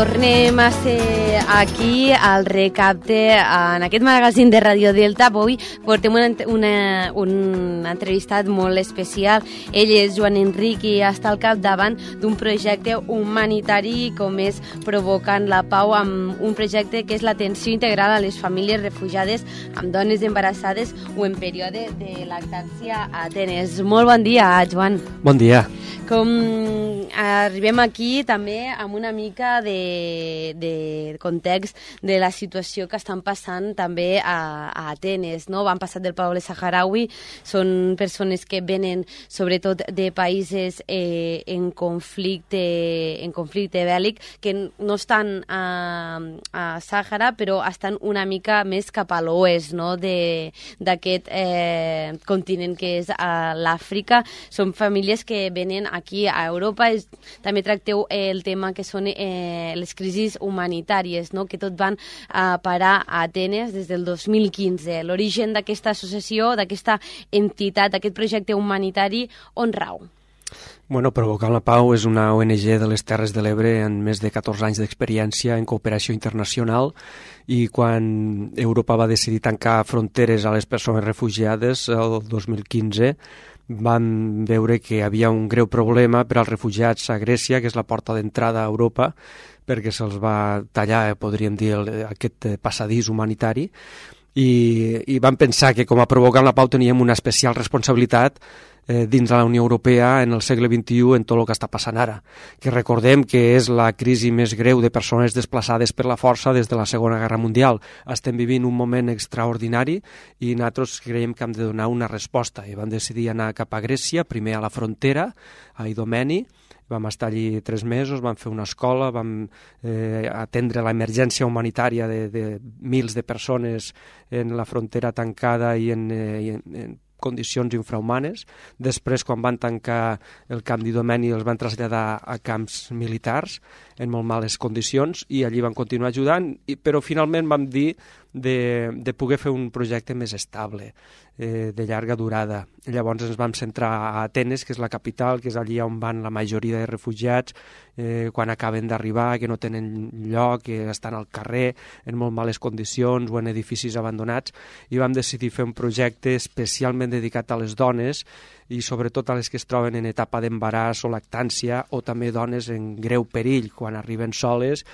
Tornem a ser aquí al Recapte, en aquest magazín de Radio Delta. Avui portem un entrevistat molt especial. Ell és Joan Enric i està al capdavant d'un projecte humanitari com és Provocant la Pau, amb un projecte que és l'atenció integral a les famílies refugiades amb dones embarassades o en període de lactància a Atenes. Molt bon dia, Joan. Bon dia. Com arribem aquí també amb una mica de context de la situació que estan passant també a Atenes, no? Han passat del poble saharaui, són persones que venen sobretot de països en conflicte bèl·lic, que no estan a Sàhara, però estan una mica més cap a l'oest, no? D'aquest continent que és l'Àfrica. Són famílies que venen aquí a Europa. També tracteu el tema que són les crisis humanitàries, no? Que tot van a parar a Atenes des del 2015. L'origen d'aquesta associació, d'aquesta entitat, d'aquest projecte humanitari, on rau? Bueno, Provocant la Pau és una ONG de les Terres de l'Ebre amb més de 14 anys d'experiència en cooperació internacional, i quan Europa va decidir tancar fronteres a les persones refugiades el 2015, van veure que hi havia un greu problema per als refugiats a Grècia, que és la porta d'entrada a Europa, perquè se'ls va tallar, podríem dir, aquest passadís humanitari, i van pensar que com a Provocant la Pau teníem una especial responsabilitat dins de la Unió Europea en el segle XXI en tot el que està passant ara, que recordem que és la crisi més greu de persones desplaçades per la força des de la Segona Guerra Mundial. Estem vivint un moment extraordinari i nosaltres creiem que hem de donar una resposta, i vam decidir anar cap a Grècia, primer a la frontera, a Idomeni. Vam estar allí 3 mesos, vam fer una escola, vam atendre l'emergència humanitària de mils de persones en la frontera tancada i en condicions infrahumanes. Després, quan van tancar el camp d'Idomeni, els van traslladar a camps militars en molt males condicions, i allí van continuar ajudant, però finalment vam dir de poder fer un projecte més estable, de llarga durada. Llavors ens vam centrar a Atenes, que és la capital, que és allí on van la majoria de refugiats quan acaben d'arribar, que no tenen lloc, que estan al carrer en molt males condicions o en edificis abandonats, i vam decidir fer un projecte especialment dedicat a les dones, i sobretot a les que es troben en etapa d'embaràs o lactància, o també dones en greu perill quan arriben soles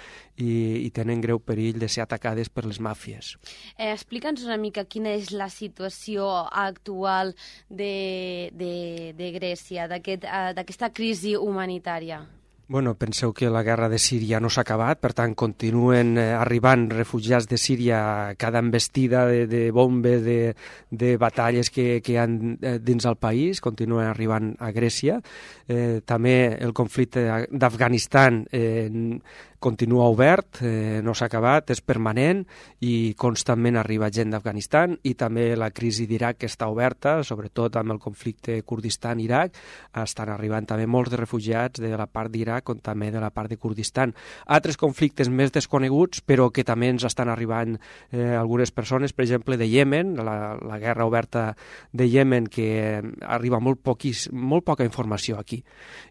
i tenen greu perill de ser atacades per les màfies. Explica'ns una mica quina és la situació actual de Grècia, d'aquesta crisi humanitària. Bueno, penseu que la guerra de Síria no s'ha acabat, per tant continuen arribant refugiats de Síria cada embestida de bombes, de batalles que hi ha dins el país, continuen arribant a Grècia. També el conflicte d'Afganistan continua obert, no s'ha acabat, és permanent i constantment arriba gent d'Afganistan, i també la crisi d'Iraq, que està oberta, sobretot amb el conflicte Kurdistan-Iraq, estan arribant també molts de refugiats de la part d'Iraq com també de la part de Kurdistan. Altres conflictes més desconeguts, però que també ens estan arribant algunes persones, per exemple de Iemen, la guerra oberta de Iemen, que arriba molt poca informació aquí,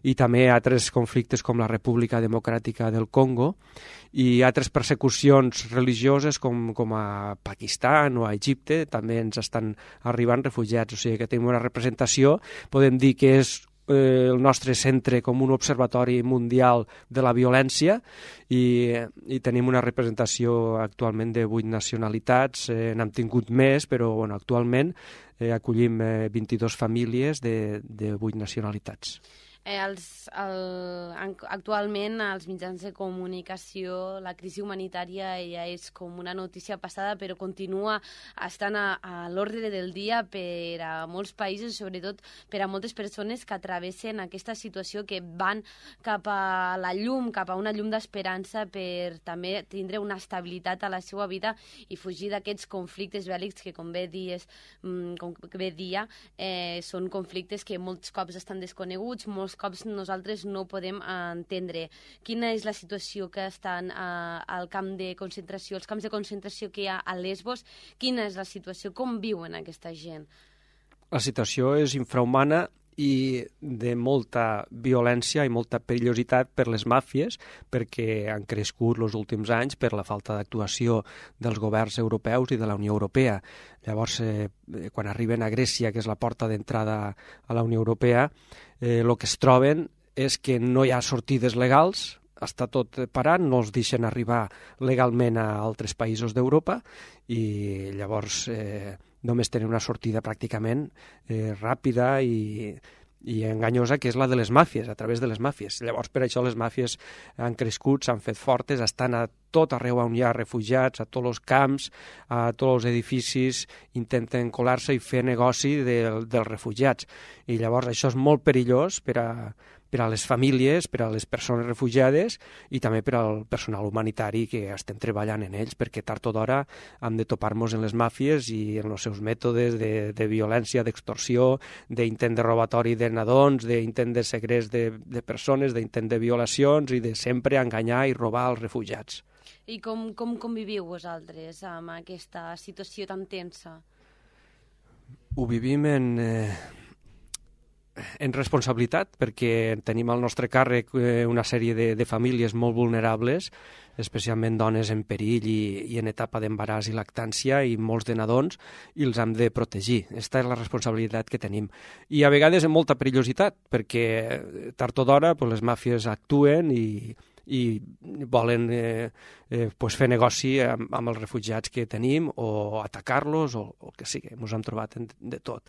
i també altres conflictes com la República Democràtica del Congo, i altres persecucions religioses com a Pakistan o a Egipte, també ens estan arribant refugiats. O sigui que tenim una representació, podem dir que és el nostre centre com un observatori mundial de la violència, i tenim una representació actualment de 8 nacionalitats, n'hem tingut més, però bueno, actualment acollim 22 famílies de 8 nacionalitats. Actualment als mitjans de comunicació la crisi humanitària ja és com una notícia passada, però continua estant a l'ordre del dia per a molts països, sobretot per a moltes persones que travessen aquesta situació, que van cap a la llum, cap a una llum d'esperança, per també tindre una estabilitat a la seva vida i fugir d'aquests conflictes bèl·lics que, com bé dia, són conflictes que molts cops estan desconeguts, molts cops nosaltres no podem entendre. Quina és la situació que estan al camp de concentració, els camps de concentració que hi ha a Lesbos? Quina és la situació? Com viuen aquesta gent? La situació és infrahumana i de molta violència i molta perillositat per les màfies, perquè han crescut els últims anys per la falta d'actuació dels governs europeus i de la Unió Europea. Llavors, quan arriben a Grècia, que és la porta d'entrada a la Unió Europea, el que es troben és que no hi ha sortides legals, està tot parat, no els deixen arribar legalment a altres països d'Europa i llavors només tenen una sortida pràcticament ràpida i enganyosa, que és la de les màfies, a través de les màfies. Llavors, per això les màfies han crescut, s'han fet fortes, estan a tot arreu on hi ha refugiats, a tots els camps, a tots els edificis, intenten colar-se i fer negoci dels refugiats. I llavors això és molt perillós per a les famílies, per a les persones refugiades i també per al personal humanitari que estem treballant en ells, perquè tard o d'hora hem de topar-nos en les màfies i en els seus mètodes de violència, d'extorsió, d'intent de robatori de nadons, d'intent de segrest de persones, d'intent de violacions i de sempre enganyar i robar als refugiats. I com conviviu vosaltres amb aquesta situació tan tensa? Ho vivim en responsabilitat, perquè tenim al nostre càrrec una sèrie de famílies molt vulnerables, especialment dones en perill i en etapa d'embaràs i lactància i molts de nadons, i els hem de protegir. Aquesta és la responsabilitat que tenim. I a vegades amb molta perillositat, perquè tard o d'hora les màfies actuen i volen fer negoci amb els refugiats que tenim o atacar-los o el que sigui. Ens hem trobat de tot.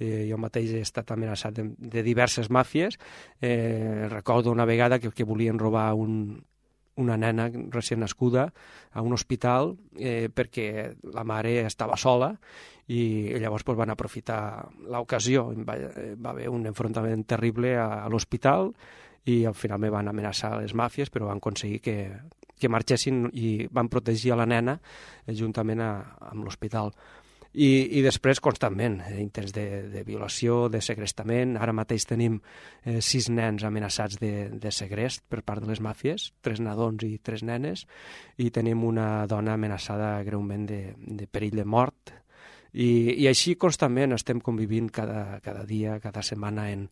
Jo mateix he estat amenaçat de diverses màfies. Recordo una vegada que volien robar una nena recient nascuda a un hospital perquè la mare estava sola i llavors van aprofitar l'ocasió. Va haver un enfrontament terrible a l'hospital i al final me van amenaçar les màfies, però van aconseguir que marxessin i van protegir a la nena juntament amb l'hospital. I després, constantment, intents de violació, de segrestament. Ara mateix tenim 6 nens amenaçats de segrest per part de les màfies, 3 nadons i 3 nenes, i tenim una dona amenaçada greument de perill de mort. I així constantment estem convivint cada dia, cada setmana en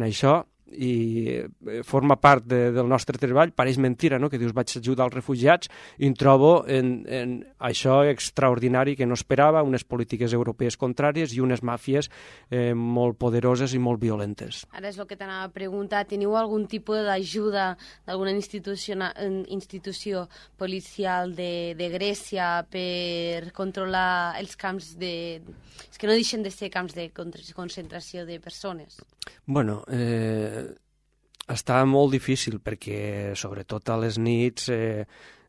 això, i forma part del nostre treball. Pareix mentira, no?, que dius vaig ajudar els refugiats, i em trobo en això extraordinari que no esperava, unes polítiques europees contràries i unes màfies molt poderoses i molt violentes. Ara és el que t'anava a preguntar, teniu algun tipus d'ajuda d'alguna institució policial de Grècia per controlar els camps és que no deixen de ser camps de concentració de persones? Bueno, està molt difícil perquè, sobretot a les nits,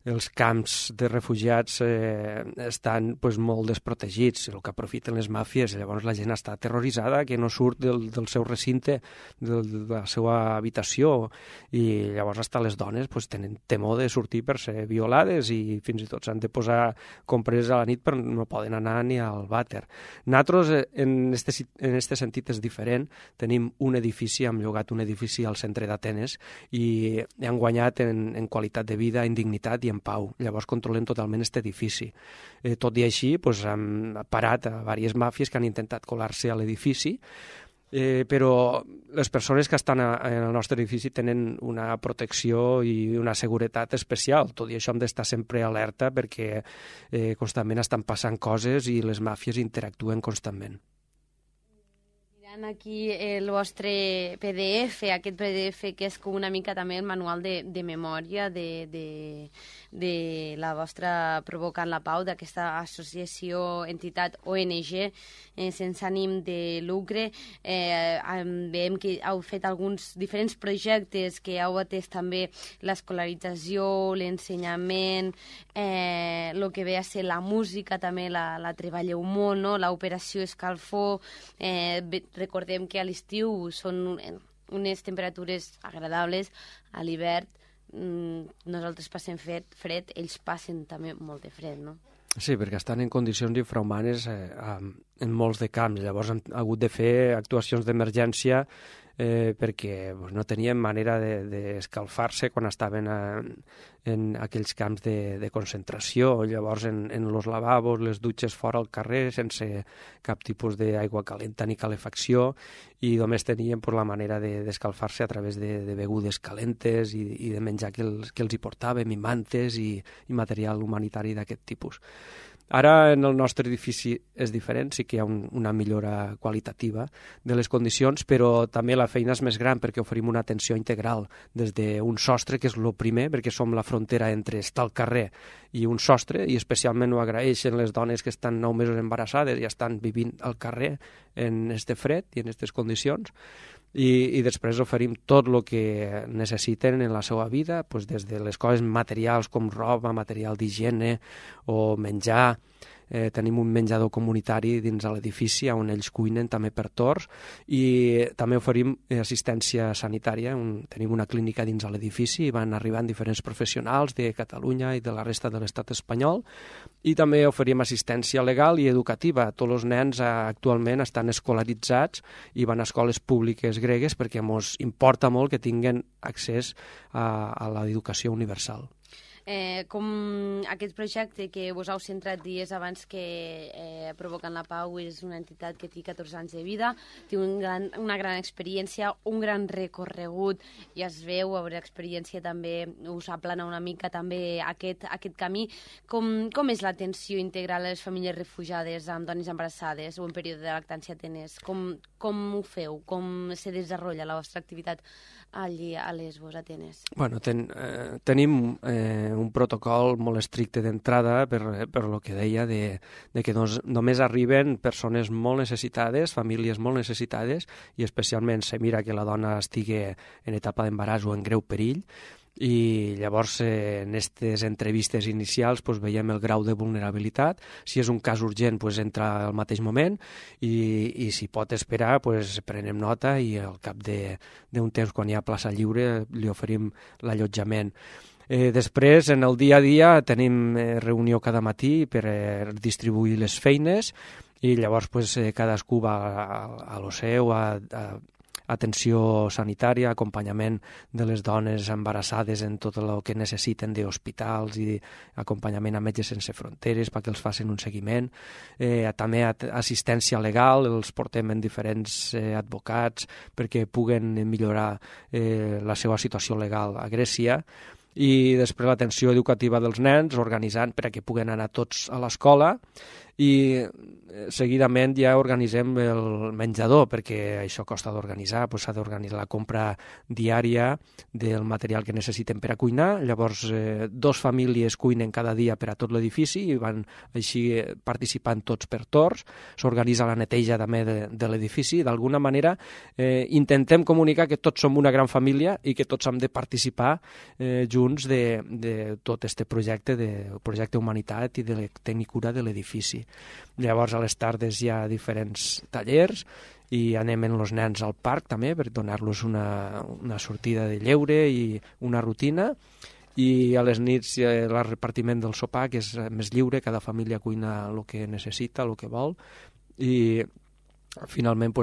els camps de refugiats estan molt desprotegits, el que aprofiten les màfies. Llavors la gent està aterroritzada, que no surt del seu recinte, de la seva habitació, i llavors hasta les dones tenen temor de sortir per ser violades i fins i tot s'han de posar compreses a la nit perquè no poden anar ni al vàter. Nosaltres, en este sentit, és diferent. Tenim un edifici, hem llogat un edifici al centre d'Atenes i hem guanyat en qualitat de vida, en dignitat i en pau. Llavors controlem totalment aquest edifici. Tot i així, hem parat a diverses màfies que han intentat colar-se a l'edifici, però les persones que estan en el nostre edifici tenen una protecció i una seguretat especial. Tot i això hem d'estar sempre alerta perquè constantment estan passant coses i les màfies interactuen constantment. Aquí el vostre PDF, aquest PDF que és com una mica també el manual de memòria de la vostra Provocant la Pau, d'aquesta associació, entitat ONG sense ànim de lucre. Veiem que heu fet alguns diferents projectes que heu atès també l'escolarització, l'ensenyament, el que ve a ser la música també la treballeu molt, no? L'operació Escalfor. Recordem que a l'estiu són unes temperatures agradables, a l'hivern nosaltres passem fred, ells passen també molt de fred, no? Sí, perquè estan en condicions infrahumanes en molts de camps. Llavors han hagut de fer actuacions d'emergència perquè no tenien manera d'escalfar-se quan estaven en aquells camps de concentració. Llavors, en los lavabos, les dutxes fora al carrer, sense cap tipus d'aigua calenta ni calefacció, i només tenien la manera d'escalfar-se a través de begudes calentes i de menjar que els hi portàvem, i mantes i material humanitari d'aquest tipus. Ara, en el nostre edifici és diferent, sí que hi ha una millora qualitativa de les condicions, però també la feina és més gran perquè oferim una atenció integral des d'un sostre, que és el primer, perquè som la frontera entre estar al carrer i un sostre, i especialment ho agraeixen les dones que estan 9 mesos embarassades i estan vivint al carrer en este fred i en aquestes condicions. I després oferim tot el que necessiten en la seva vida, des de les coses materials com roba, material d'higiene o menjar. Tenim un menjador comunitari dins de l'edifici on ells cuinen també per torns, i també oferim assistència sanitària. Tenim una clínica dins de l'edifici i van arribant diferents professionals de Catalunya i de la resta de l'estat espanyol, i també oferim assistència legal i educativa. Tots els nens actualment estan escolaritzats i van a escoles públiques gregues perquè ens importa molt que tinguin accés a l'educació universal. Com aquest projecte que vos heu centrat dies abans que Provocant la Pau és una entitat que té 14 anys de vida, té una gran experiència, un gran recorregut, i es veu, a veure, experiència també us aplana una mica també aquest camí. Com és l'atenció integral a les famílies refugiades amb dones embarassades o en període de lactància tenés? Com ho feu? Com se desenvolupa la vostra activitat allí a Lesbos, a Atenes? Bueno, tenim un protocol molt estricte d'entrada per lo que deia de que només arriben persones molt necessitades, famílies molt necessitades, i especialment se mira que la dona estigui en etapa d'embaràs o en greu perill, i llavors en aquestes entrevistes inicials veiem el grau de vulnerabilitat. Si és un cas urgent entra al mateix moment, i si pot esperar prenem nota, i al cap d'un temps, quan hi ha plaça lliure, li oferim l'allotjament. Després, en el dia a dia, tenim reunió cada matí per distribuir les feines, i llavors cadascú va a lo seu, a atenció sanitària, acompanyament de les dones embarassades en tot el que necessiten d'hospitals i acompanyament a Metges Sense Fronteres perquè els facin un seguiment. També assistència legal, els portem en diferents advocats perquè puguen millorar la seva situació legal a Grècia. I després l'atenció educativa dels nens, organitzant perquè puguen anar tots a l'escola, i seguidament ja organitzem el menjador, perquè això costa d'organitzar, s'ha d'organitzar la compra diària del material que necessiten per a cuinar. Llavors, 2 famílies cuinen cada dia per a tot l'edifici i van així participant tots per torns. S'organitza la neteja també de l'edifici. D'alguna manera intentem comunicar que tots som una gran família i que tots hem de participar junts de tot aquest projecte humanitat i de tenir cura de l'edifici. Llavors, a les tardes hi ha diferents tallers i anem amb els nens al parc també per donar-los una sortida de lleure i una rutina, i a les nits hi ha el repartiment del sopar, que és més lliure, cada família cuina el que necessita, el que vol, i finalment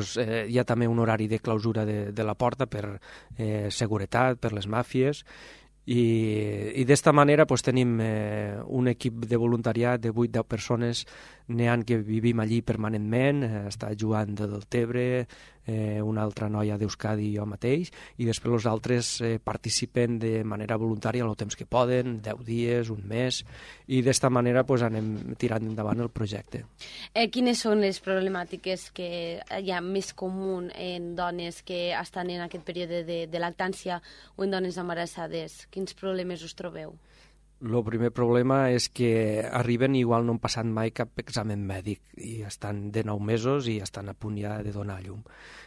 hi ha també un horari de clausura de la porta per seguretat, per les màfies. I d'esta manera tenim un equip de voluntariat de 8-10 persones, n'hi ha que vivim allí permanentment, està Joan de Deltebre, una altra noia d'Euskadi i jo mateix, i després els altres participen de manera voluntària el temps que poden, 10 dies, un mes, i d'esta manera anem tirant endavant el projecte. Quines són les problemàtiques que hi ha més comú en dones que estan en aquest període de lactància o en dones embarassades? Quins problemes us trobeu? El primer problema és que arriben i igual no han passat mai cap examen mèdic i estan de 9 mesos i estan a punt ja de donar llum.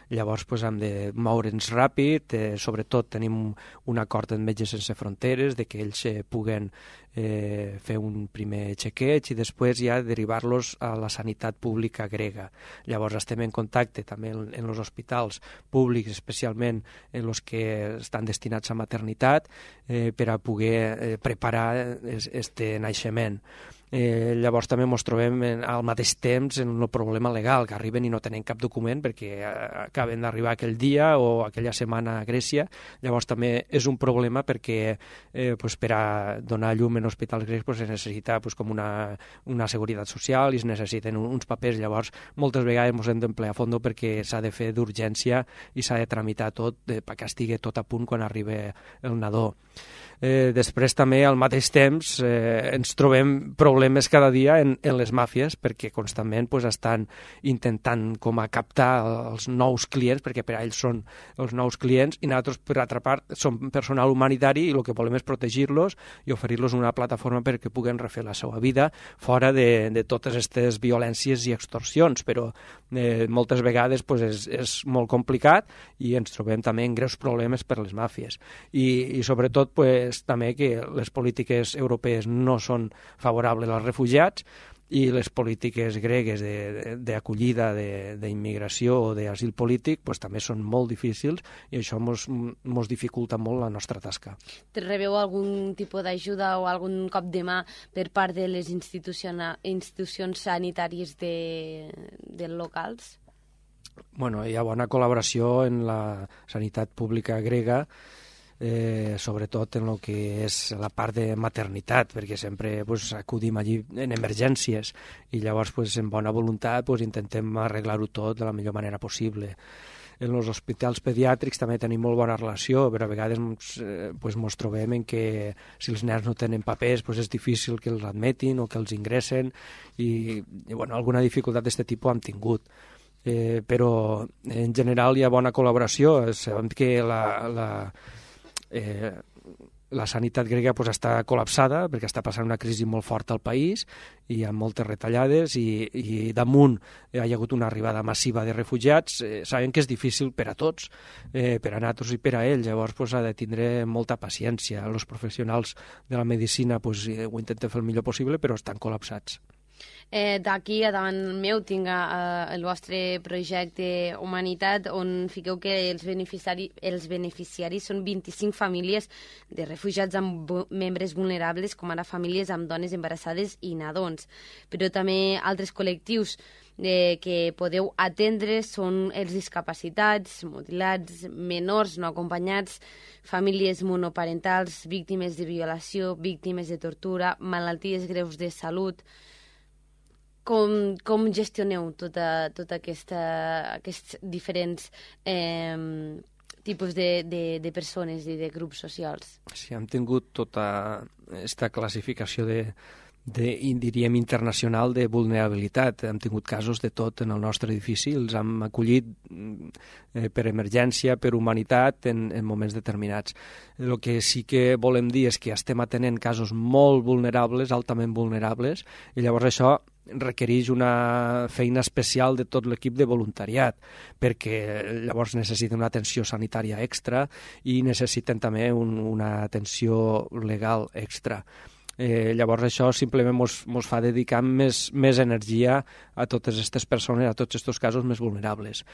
Llavors hem de moure'ns ràpid, sobretot tenim un acord amb Metges Sense Fronteres de que ells puguen fer un primer xequeig i després ja derivar-los a la sanitat pública grega. Llavors estem en contacte també en els hospitals públics, especialment en els que estan destinats a maternitat, per a poder preparar este naixement. Llavors també ens trobem al mateix temps en el problema legal, que arriben i no tenen cap document perquè acaben d'arribar aquell dia o aquella setmana a Grècia. Llavors també és un problema perquè per a donar llum en hospitals grecs es necessita com una seguretat social i es necessiten uns papers. Llavors moltes vegades ens hem d'emplear a fons perquè s'ha de fer d'urgència i s'ha de tramitar tot perquè estigui tot a punt quan arriba el nadó. Després també al mateix temps ens trobem problemes cada dia en les màfies perquè constantment estan intentant com a captar els nous clients, perquè per a ells són els nous clients, i nosaltres per altra part som personal humanitari i el que volem és protegir-los i oferir-los una plataforma perquè puguen refer la seva vida fora de totes aquestes violències i extorsions, però moltes vegades és molt complicat i ens trobem també en greus problemes per les màfies i sobretot també que les polítiques europees no són favorables als refugiats i les polítiques gregues d'acollida, d'immigració o d'asil polític també són molt difícils i això ens dificulta molt la nostra tasca. Rebeu algun tipus d'ajuda o algun cop de mà per part de les institucions sanitàries dels locals? Bueno, hi ha bona col·laboració en la sanitat pública grega, sobretot en el que és la part de maternitat, perquè sempre acudim allí en emergències i llavors en bona voluntat intentem arreglar-ho tot de la millor manera possible. En els hospitals pediàtrics també tenim molt bona relació, però a vegades ens trobem en que si els nens no tenen papers és difícil que els admetin o que els ingressen i alguna dificultat d'aquest tipus hem tingut. Però en general hi ha bona col·laboració. Sabem que la sanitat grega està col·lapsada perquè està passant una crisi molt forta al país i hi ha moltes retallades i damunt hi ha hagut una arribada massiva de refugiats. Sabem que és difícil per a tots, per a nosaltres i per a ells, llavors ha de tindre molta paciència. Els professionals de la medicina ho intenten fer el millor possible, però estan col·lapsats. D'aquí a davant meu tinc el vostre projecte Humanitat, on fiqueu que els beneficiaris són 25 famílies de refugiats amb membres vulnerables, com ara famílies amb dones embarassades i nadons. Però també altres col·lectius que podeu atendre són els discapacitats, mutilats, menors no acompanyats, famílies monoparentals, víctimes de violació, víctimes de tortura, malalties greus de salut. Com gestioneu tots aquests diferents tipus de persones i de grups socials? Sí, hem tingut tota aquesta classificació diríem internacional de vulnerabilitat. Hem tingut casos de tot en el nostre edifici, els hem acollit per emergència, per humanitat, en moments determinats. El que sí que volem dir és que estem atenent casos molt vulnerables, altament vulnerables, i llavors això requereix una feina especial de tot l'equip de voluntariat, perquè llavors necessiten una atenció sanitària extra i necessiten també una atenció legal extra. Llavors això simplement ens fa dedicar més energia a totes aquestes persones, a tots aquests casos més vulnerables.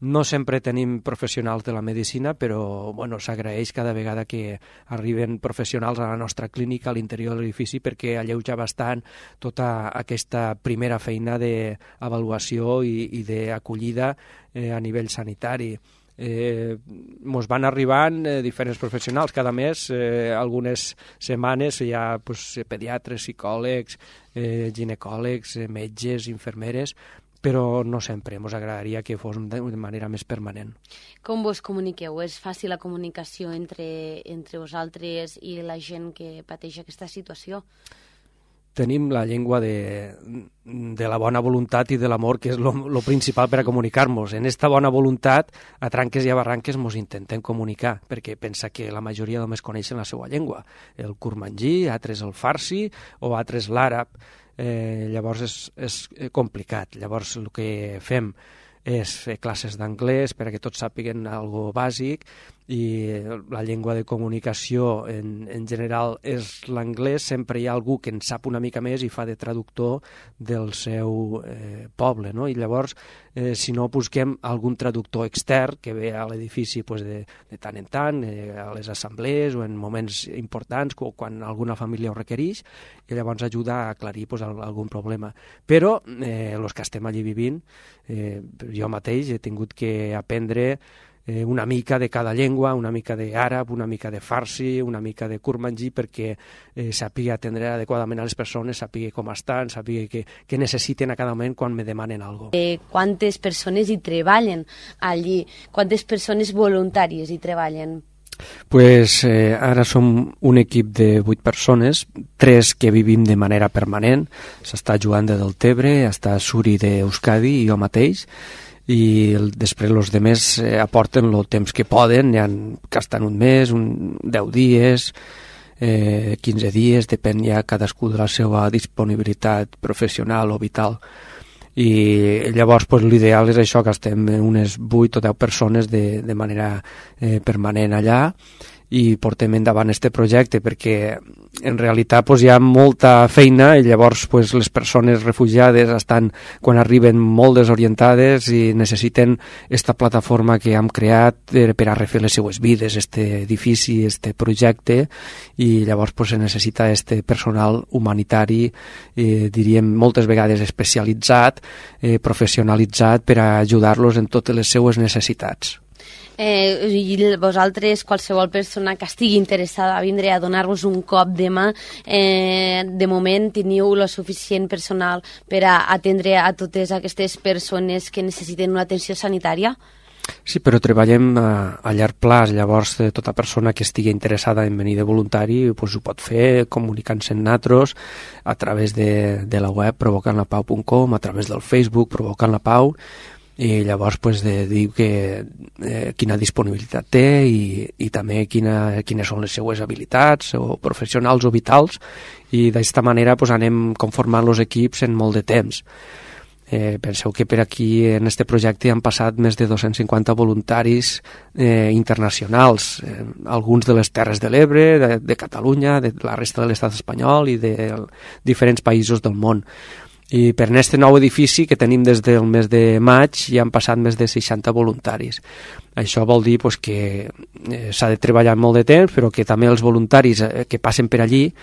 No sempre tenim professionals de la medicina, però s'agraeix cada vegada que arriben professionals a la nostra clínica a l'interior de l'edifici perquè alleuja bastant tota aquesta primera feina d'avaluació i d'acollida a nivell sanitari. Ens van arribant diferents professionals cada mes, algunes setmanes hi ha pediatres, psicòlegs, ginecòlegs, metges, infermeres, però no sempre. Ens agradaria que fos de manera més permanent. Com vos comuniqueu? És fàcil la comunicació entre vosaltres i la gent que pateix aquesta situació? Tenim la llengua de la bona voluntat i de l'amor, que és lo principal per a comunicar-nos. En aquesta bona voluntat, a tranques i a barranques, ens intentem comunicar, perquè pensa que la majoria només coneixen la seva llengua. El kurmanji, altres el farsi o altres l'àrab. Llavors és complicat. Llavors el que fem és fer classes d'anglès perquè tots sàpiguen algo bàsic i la llengua de comunicació en general és l'anglès, sempre hi ha algú que en sap una mica més i fa de traductor del seu poble, no? I llavors, si no, busquem algun traductor extern que ve a l'edifici de tant en tant, a les assemblees o en moments importants, quan alguna família ho requereix, i llavors ajuda a aclarir algun problema. Però els que estem allí vivint, jo mateix he tingut que aprendre una mica de cada llengua, una mica d'àrab, una mica de farsi, una mica de kurmanji, perquè sàpiga atendre adequadament a les persones, sàpiga com estan, sàpiga què necessiten a cada moment quan me demanen alguna cosa. Quantes persones hi treballen allí? Quantes persones voluntàries hi treballen? Pues ara som un equip de 8 persones, 3 que vivim de manera permanent. S'està Joan de Deltebre, està Suri d'Euskadi i jo mateix, i després els demés aporten el temps que poden, hi ha que estan un mes, 10 dies, 15 dies, depèn ja cadascú de la seva disponibilitat professional o vital. I llavors l'ideal és això, que estem unes 8 o 10 persones de manera permanent allà i portem endavant este projecte, perquè en realitat hi ha molta feina i llavors les persones refugiades estan, quan arriben, molt desorientades i necessiten esta plataforma que hem creat per a refer les seues vides, este edifici, este projecte, i llavors se necessita este personal humanitari, diríem moltes vegades especialitzat, professionalitzat, per a ajudar-los en totes les seues necessitats. I vosaltres, qualsevol persona que estigui interessada a vindre a donar-vos un cop de mà, de moment teniu el suficient personal per a atendre a totes aquestes persones que necessiten una atenció sanitària? Sí, però treballem a llarg plaç, llavors tota persona que estigui interessada en venir de voluntari ho pot fer comunicant-se amb nosaltres a través de la web provocantlapau.com, a través del Facebook Provocant la Pau, i llavors dir quina disponibilitat té i també quines són les seues habilitats o professionals o vitals, i d'aquesta manera anem conformant els equips en molt de temps. Penseu que per aquí en este projecte han passat més de 250 voluntaris internacionals, alguns de les Terres de l'Ebre, de Catalunya, de la resta de l'estat espanyol i de diferents països del món. I per aquest nou edifici que tenim des del mes de maig ja han passat més de 60 voluntaris. Això vol dir que s'ha de treballar molt de temps, però que també els voluntaris que passen per allí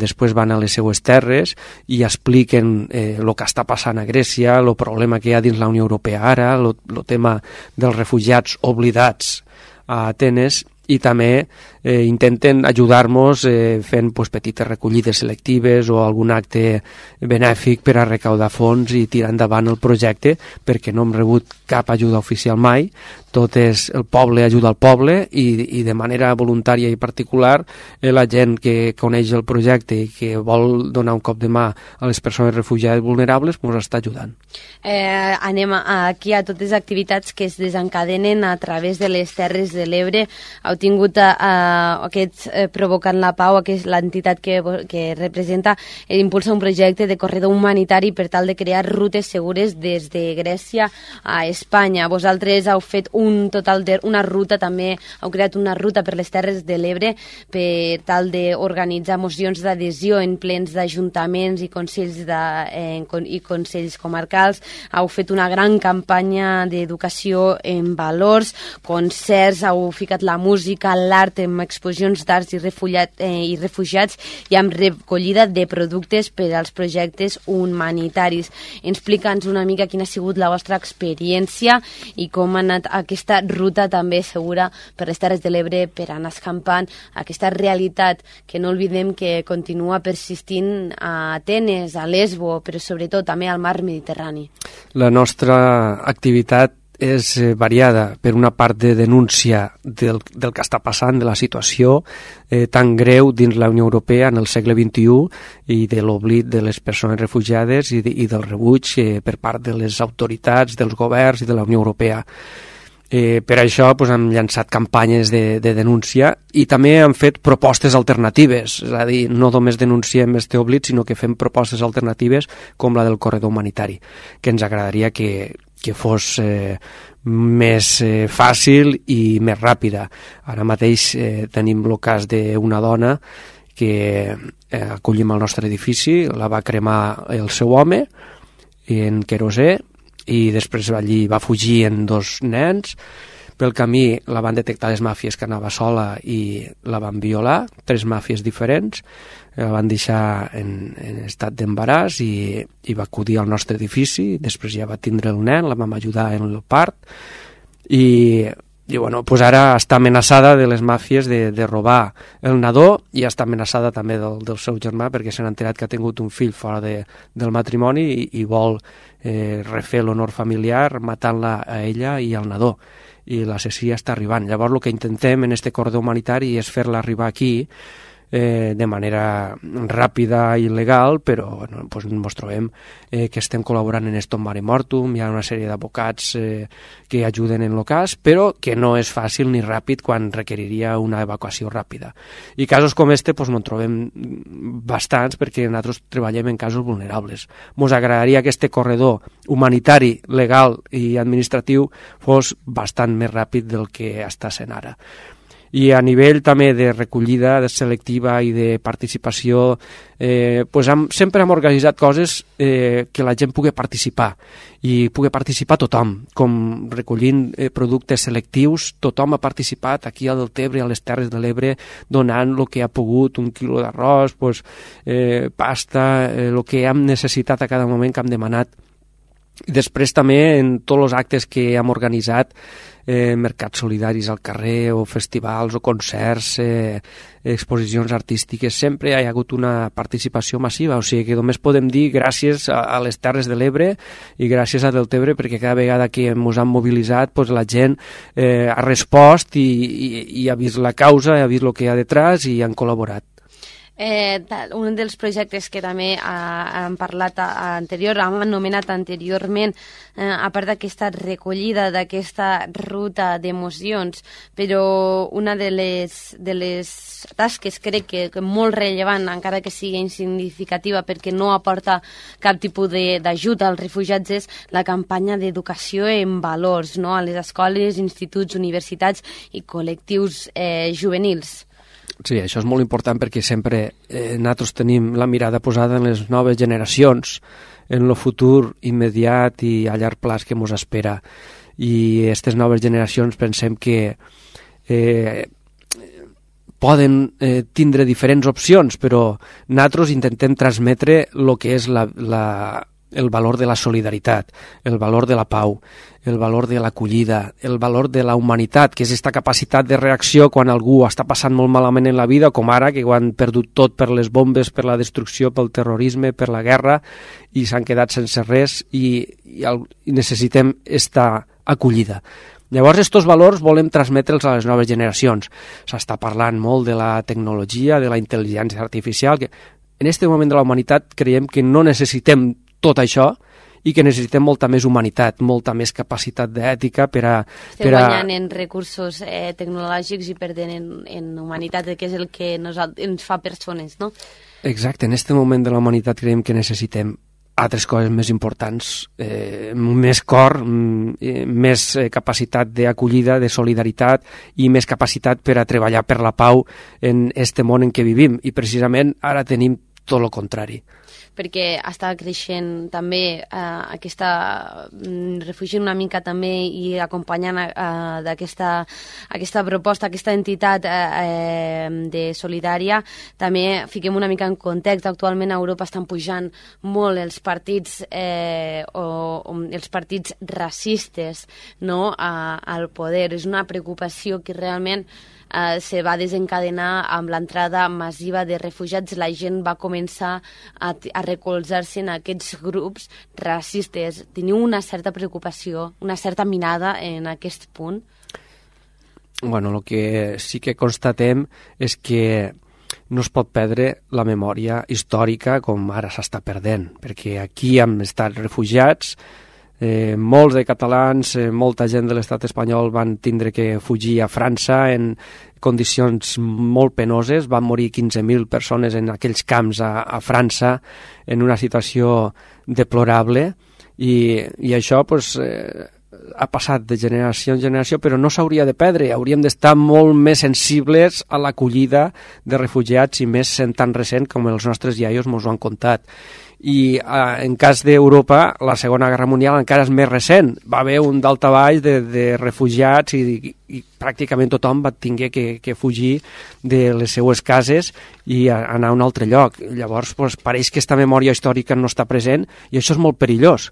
després van a les seues terres i expliquen el que està passant a Grècia, el problema que hi ha dins la Unió Europea ara, el tema dels refugiats oblidats a Atenes, i també intenten ajudar-nos fent petites recollides selectives o algun acte benèfic per a recaudar fons i tirar endavant el projecte, perquè no hem rebut cap ajuda oficial mai, tot és el poble ajuda al poble, i de manera voluntària i particular la gent que coneix el projecte i que vol donar un cop de mà a les persones refugiades vulnerables ens està ajudant. Anem aquí a totes les activitats que es desencadenen a través de les Terres de l'Ebre. Heu tingut Provocant la Pau, que és l'entitat que representa, impulsa un projecte de corredor humanitari per tal de crear rutes segures des de Grècia a Espanya. Vosaltres heu fet una ruta, també heu creat una ruta per les Terres de l'Ebre per tal d'organitzar mocions d'adhesió en plens d'ajuntaments i consells comarcals. Heu fet una gran campanya d'educació en valors, concerts, heu ficat la música, l'art, amb exposicions d'arts i refugiats i amb recollida de productes per als projectes humanitaris. Explica'ns una mica quina ha sigut la vostra experiència i com ha anat aquesta ruta també segura per les Terres de l'Ebre, per anar escampant aquesta realitat que no oblidem que continua persistint a Atenes, a Lesbo, però sobretot també al mar Mediterrani. La nostra activitat és variada, per una part de denúncia del que està passant, de la situació tan greu dins la Unió Europea en el segle XXI i de l'oblit de les persones refugiades i del rebuig per part de les autoritats, dels governs i de la Unió Europea. Per això hem llançat campanyes de denúncia i també hem fet propostes alternatives, és a dir, no només denunciem este oblit, sinó que fem propostes alternatives com la del corredor humanitari, que ens agradaria que fos més fàcil i més ràpida. Ara mateix tenim el cas d'una dona que acollim al nostre edifici, la va cremar el seu home en querosè i després allí va fugir en 2 nens. Pel camí la van detectar les màfies que anava sola i la van violar, 3 màfies diferents, la van deixar en estat d'embaràs i va acudir al nostre edifici, després ja va tindre el nen, la vam ajudar en el part i bueno, pues ara està amenaçada de les màfies de robar el nadó i està amenaçada també del seu germà perquè s'han enterat que ha tingut un fill fora del matrimoni i vol refer l'honor familiar matant-la a ella i al nadó, i l'assassí està arribant. Llavors el que intentem en este corredor humanitari és fer-la arribar aquí de manera ràpida i legal, però bueno, pues ens trobem que estem col·laborant en Stop Mare Mortum, hi ha una sèrie d'advocats que ajuden en el cas, però que no és fàcil ni ràpid quan requeriria una evacuació ràpida. I casos com este pues, no en trobem bastants perquè nosaltres treballem en casos vulnerables. Ens agradaria que este corredor humanitari, legal i administratiu fos bastant més ràpid del que està sent ara. I a nivell també de recollida selectiva i de participació pues sempre hem organitzat coses que la gent pugui participar i pugui participar tothom, com recollint productes selectius. Tothom ha participat aquí a Deltebre, a les Terres de l'Ebre, donant el que ha pogut, 1 quilo d'arròs, pues, pasta, el que hem necessitat a cada moment que hem demanat. I després també en tots els actes que hem organitzat, mercats solidaris al carrer o festivals o concerts, exposicions artístiques, sempre hi ha hagut una participació massiva, o sigui que només podem dir gràcies a les Terres de l'Ebre i gràcies a Deltebre perquè cada vegada que ens han mobilitzat pues, la gent ha respost i ha vist la causa, ha vist el que hi ha detrás i han col·laborat. Un dels projectes que també hem parlat hem anomenat anteriorment, a part d'aquesta recollida, d'aquesta ruta d'emocions, però una de les tasques crec que molt rellevant, encara que sigui insignificativa perquè no aporta cap tipus d'ajut als refugiats, és la campanya d'educació en valors, no? A les escoles, instituts, universitats i col·lectius juvenils. Sí, això és molt important perquè sempre nosaltres tenim la mirada posada en les noves generacions, en el futur immediat i a llarg plaç que ens espera. I aquestes noves generacions pensem que poden tindre diferents opcions, però nosaltres intentem transmetre el que és el valor de la solidaritat, el valor de la pau, el valor de l'acollida, el valor de la humanitat, que és aquesta capacitat de reacció quan algú està passant molt malament en la vida, com ara, que ho han perdut tot per les bombes, per la destrucció, pel terrorisme, per la guerra, i s'han quedat sense res i necessitem aquesta acollida. Llavors, aquests valors volem transmetre'ls a les noves generacions. S'està parlant molt de la tecnologia, de la intel·ligència artificial, que en aquest moment de la humanitat creiem que no necessitem tot això i que necessitem molta més humanitat, molta més capacitat d'ètica per a... Estem guanyant en recursos tecnològics i perdent en humanitat, que és el que ens fa persones, no? Exacte, en aquest moment de la humanitat creiem que necessitem altres coses més importants, més cor, més capacitat d'acollida, de solidaritat i més capacitat per a treballar per la pau en aquest món en què vivim. I precisament ara tenim tot el contrari. Perquè està creixent també aquesta refugint una mica també i acompanyant aquesta proposta, aquesta entitat de solidària. També fiquem una mica en context. Actualment a Europa estan pujant molt els partits els partits racistes, no, al poder. És una preocupació que realment se va desencadenar amb l'entrada massiva de refugiats. La gent va començar a recolzar-se en aquests grups racistes. Teniu una certa preocupació, una certa mirada en aquest punt? Bueno, el que sí que constatem és que no es pot perdre la memòria històrica com ara s'està perdent, perquè aquí hem estat refugiats. Molts de catalans, molta gent de l'estat espanyol van tindre que fugir a França en condicions molt penoses. Van morir 15.000 persones en aquells camps a França en una situació deplorable i això pues, ha passat de generació en generació, però no s'hauria de perdre. Hauríem d'estar molt més sensibles a l'acollida de refugiats, i més sent tan recent com els nostres iaios ens ho han contat. I en cas d'Europa, la Segona Guerra Mundial encara és més recent. Va haver un daltabaix de refugiats i pràcticament tothom va tingué que fugir de les seues cases i anar a un altre lloc. Llavors, pareix que aquesta memòria històrica no està present, i això és molt perillós.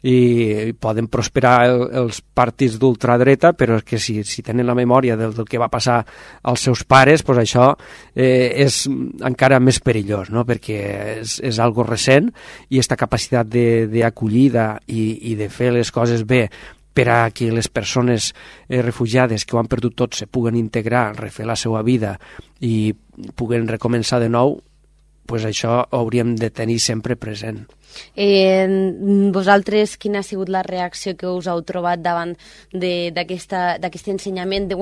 I poden prosperar els partits d'ultradreta, però és que si tenen la memòria del que va passar als seus pares, doncs això és encara més perillós, no? Perquè és algo recent, i aquesta capacitat d'acollida i de fer les coses bé per a que les persones refugiades que ho han perdut tot se puguen integrar, refer la seva vida i puguen recomençar de nou, doncs això ho hauríem de tenir sempre present. Vosaltres, quina ha sigut la reacció que us heu trobat davant d'aquest ensenyament de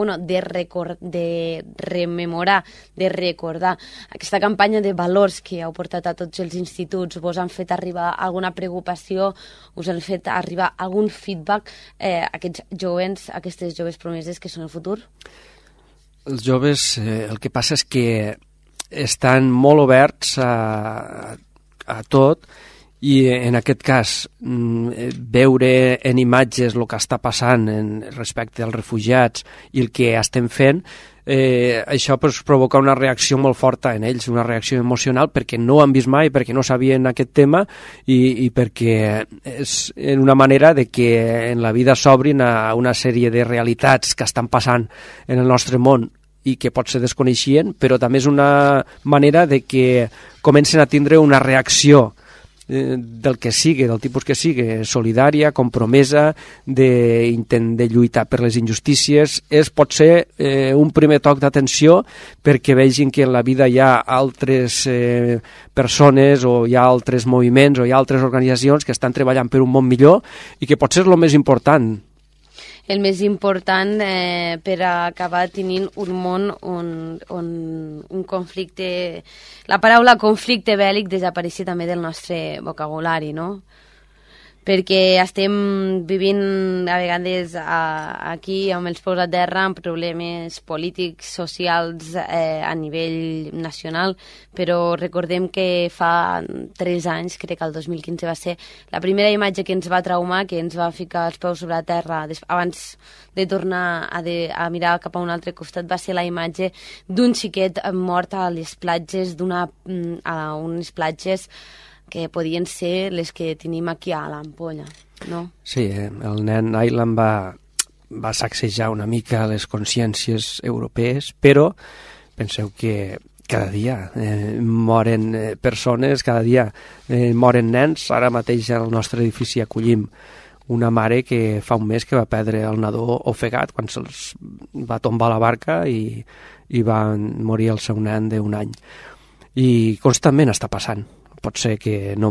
rememorar, de recordar aquesta campanya de valors que heu portat a tots els instituts? Vos han fet arribar alguna preocupació? Us han fet arribar algun feedback aquests joves, aquestes joves promeses que són el futur? Els joves, el que passa és que estan molt oberts a tot, i en aquest cas veure en imatges el que està passant respecte als refugiats i el que estem fent, això provoca una reacció molt forta en ells, una reacció emocional, perquè no ho han vist mai, perquè no sabien aquest tema, i perquè és una manera de que en la vida s'obrin a una sèrie de realitats que estan passant en el nostre món i que potser desconeixien, però també és una manera de que comencen a tindre una reacció del que sigui, del tipus que sigui, solidària, compromesa, d'intent de lluitar per les injustícies. Pot ser un primer toc d'atenció perquè vegin que en la vida hi ha altres persones, o hi ha altres moviments, o hi ha altres organitzacions que estan treballant per un món millor, i que potser és el més important. El més important per acabar tenint un món on un conflicte... La paraula conflicte bèl·lic desapareixi també del nostre vocabulari, no? Perquè estem vivint a vegades aquí amb els peus a terra amb problemes polítics, socials a nivell nacional, però recordem que fa 3 anys, crec que el 2015 va ser la primera imatge que ens va traumar, que ens va ficar els peus sobre la terra abans de tornar a mirar cap a un altre costat, va ser la imatge d'un xiquet mort a les platges, a unes platges que podien ser les que tenim aquí a l'Ampolla, no? Sí, el nen Aylan va sacsejar una mica les consciències europees, però penseu que cada dia moren persones, cada dia moren nens. Ara mateix al nostre edifici acollim una mare que fa un mes que va perdre el nadó ofegat quan se'ls va tombar la barca i va morir el seu nen d'1 any. I constantment està passant. Pot ser que no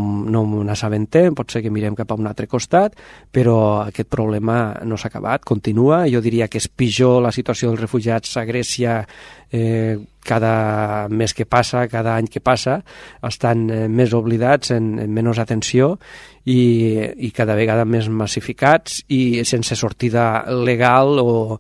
n'assabentem, pot ser que mirem cap a un altre costat, però aquest problema no s'ha acabat, continua. Jo diria que és pitjor la situació dels refugiats a Grècia cada mes que passa, cada any que passa, estan més oblidats, en menys atenció i cada vegada més massificats i sense sortida legal o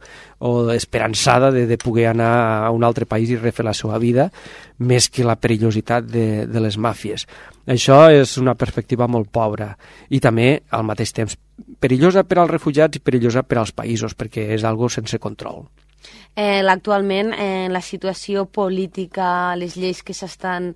esperançada de poder anar a un altre país i refer la seva vida, més que la perillositat de les màfies. Això és una perspectiva molt pobra i també, al mateix temps, perillosa per als refugiats i perillosa per als països, perquè és algo sense control. Actualment, la situació política, les lleis que s'estan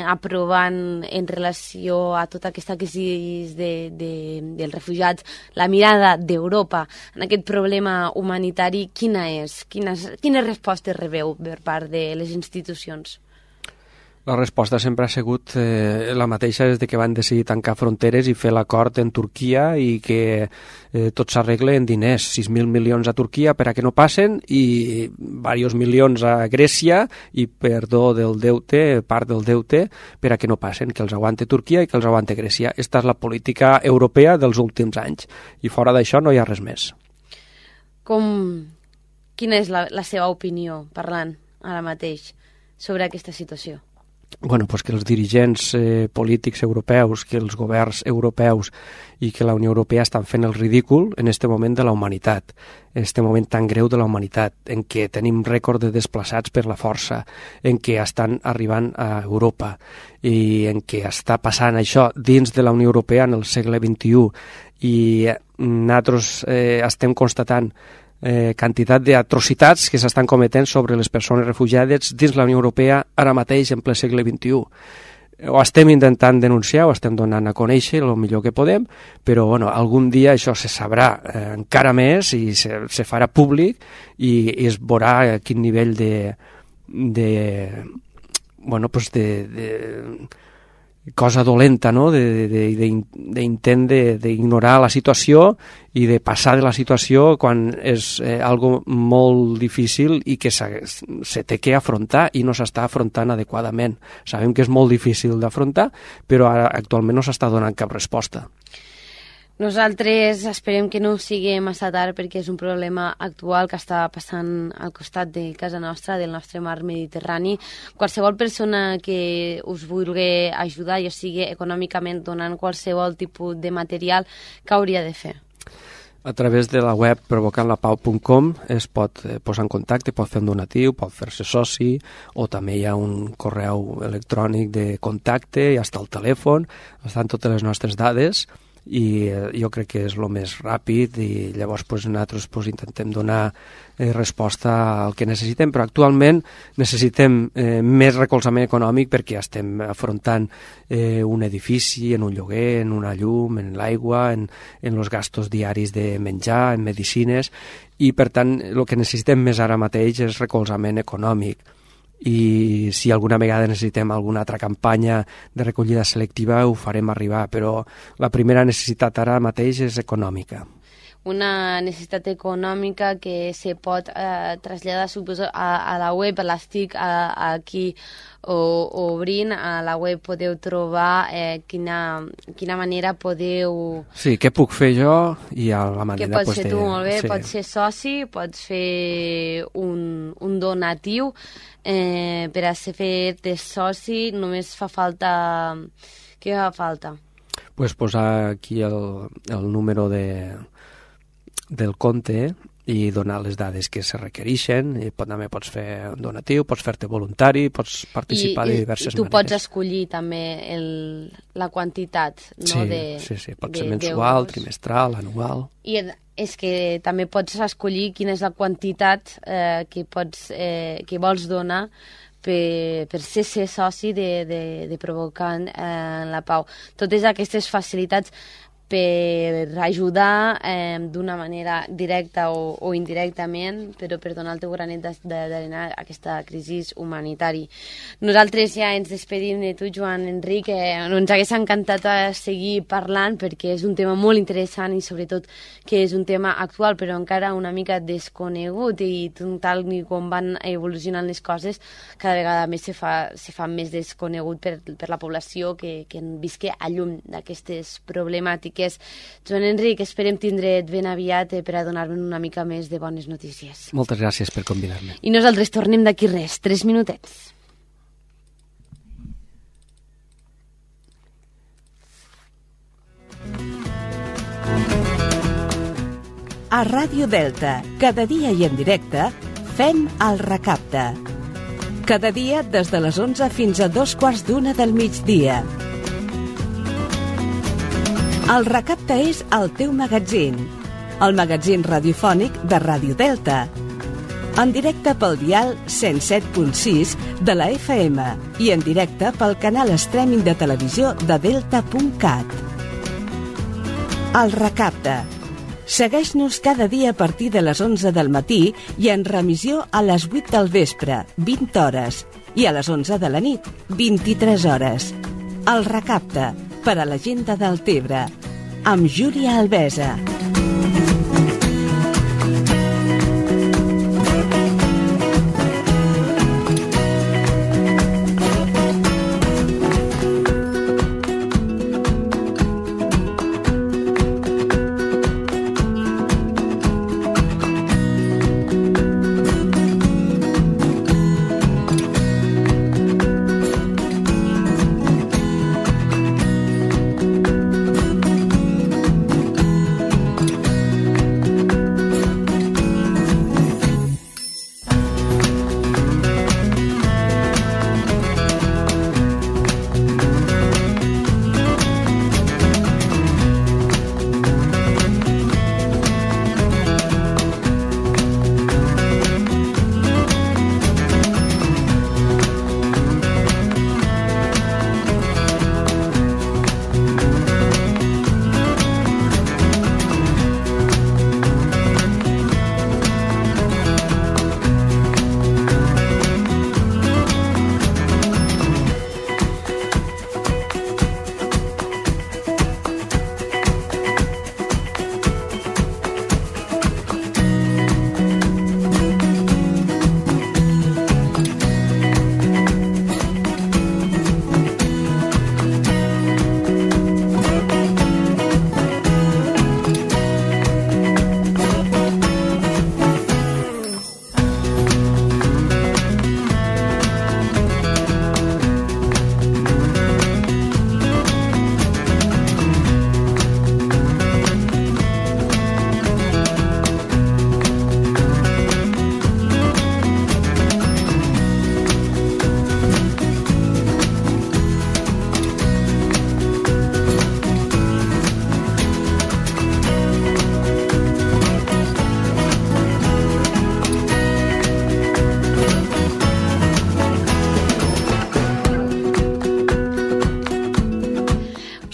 aprovant en relació a tota aquesta crisi dels refugiats, la mirada d'Europa en aquest problema humanitari, quina és? Quines respostes rebeu per part de les institucions? La resposta sempre ha sigut la mateixa des que van decidir tancar fronteres i fer l'acord en Turquia i que tot s'arregle en diners, 6.000 milions a Turquia per a que no passen i diversos milions a Grècia i perdó del deute, part del deute, per a que no passen, que els aguante Turquia i que els aguante Grècia. Esta és la política europea dels últims anys i fora d'això no hi ha res més. Quina és la seva opinió, parlant ara mateix, sobre aquesta situació? que els dirigents polítics europeus, que els governs europeus i que la Unió Europea estan fent el ridícul en aquest moment de la humanitat, en aquest moment tan greu de la humanitat, en què tenim rècord de desplaçats per la força, en què estan arribant a Europa i en què està passant això dins de la Unió Europea en el segle XXI i nosaltres estem constatant quantitat d'atrocitats que s'estan cometent sobre les persones refugiades dins la Unió Europea ara mateix en ple segle XXI. Ho estem intentant denunciar, ho estem donant a conèixer el millor que podem, però algun dia això se sabrà encara més i se farà públic i es veurà quin nivell de cosa dolenta, no? D'intent d'ignorar la situació i de passar de la situació quan és algo molt difícil i que se té que afrontar i no s'està afrontant adequadament. Sabem que és molt difícil d'afrontar, però ara actualment no s'està donant cap resposta. Nosaltres esperem que no sigui massa tard perquè és un problema actual que està passant al costat de casa nostra, del nostre mar Mediterrani. Qualsevol persona que us vulgui ajudar, ja sigui econòmicament donant qualsevol tipus de material, què hauria de fer? A través de la web provocantlapau.com es pot posar en contacte, pot fer un donatiu, pot fer-se soci, o també hi ha un correu electrònic de contacte, ja està el telèfon, estan totes les nostres dades, i jo crec que és el més ràpid i llavors nosaltres intentem donar resposta al que necessitem, però actualment necessitem més recolzament econòmic perquè estem afrontant un edifici, en un lloguer, en una llum, en l'aigua, en els gastos diaris de menjar, en medicines, i per tant el que necessitem més ara mateix és recolzament econòmic. I si alguna vegada necessitem alguna altra campanya de recollida selectiva ho farem arribar, però la primera necessitat ara mateix és econòmica. Una necessitat econòmica que se pot traslladar, suposo, a la web, l'estic aquí obrint, a la web podeu trobar quina manera podeu... Sí, què puc fer jo i a la manera... Què pots fer tu, molt bé, sí. Pots ser soci, pots fer un donatiu, per a fer-te soci només fa falta... Què fa falta? Pues posar aquí el número del compte i donar les dades que se requereixen. I també pots fer un donatiu, pots fer-te voluntari, pots participar de diverses maneres. I tu pots escollir també la quantitat, no? Sí, pot ser mensual, trimestral, anual. I és que també pots escollir quina és la quantitat que vols donar per ser soci de Provocant la Pau. Totes aquestes facilitats per ajudar d'una manera directa o indirectament, però per donar el teu granet d'arena a aquesta crisi humanitària. Nosaltres ja ens despedim de tu, Joan Enric. Ens hagués encantat seguir parlant perquè és un tema molt interessant i sobretot que és un tema actual però encara una mica desconegut i tal com van evolucionant les coses cada vegada més se fa més desconegut per la població que visqui a llum d'aquestes problemàtiques. Joan Enric, esperem tindre't ben aviat per a donar-me una mica més de bones notícies. Moltes gràcies per convidar-me. I nosaltres tornem d'aquí 3 minutets. A Ràdio Delta, cada dia i en directe, fem el Recapte. Cada dia des de les 11 fins a 2:15 del migdia. El Recapte és el teu magatzín, el magatzín radiofònic de Ràdio Delta. En directe pel dial 107.6 de la FM i en directe pel canal streaming de televisió de delta.cat. El Recapte. Segueix-nos cada dia a partir de les 11 del matí i en remissió a les 8 del vespre, 20 hores, i a les 11 de la nit, 23 hores. El Recapte, per a la gent de Deltebre, amb Júlia Albesa.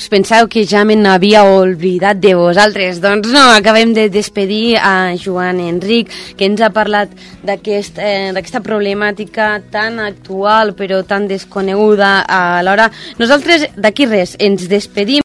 us penseu que ja me n'havia oblidat de vosaltres. Doncs no, acabem de despedir a Joan Enric, que ens ha parlat d'aquesta problemàtica tan actual però tan desconeguda alhora. Nosaltres d'aquí res, ens despedim.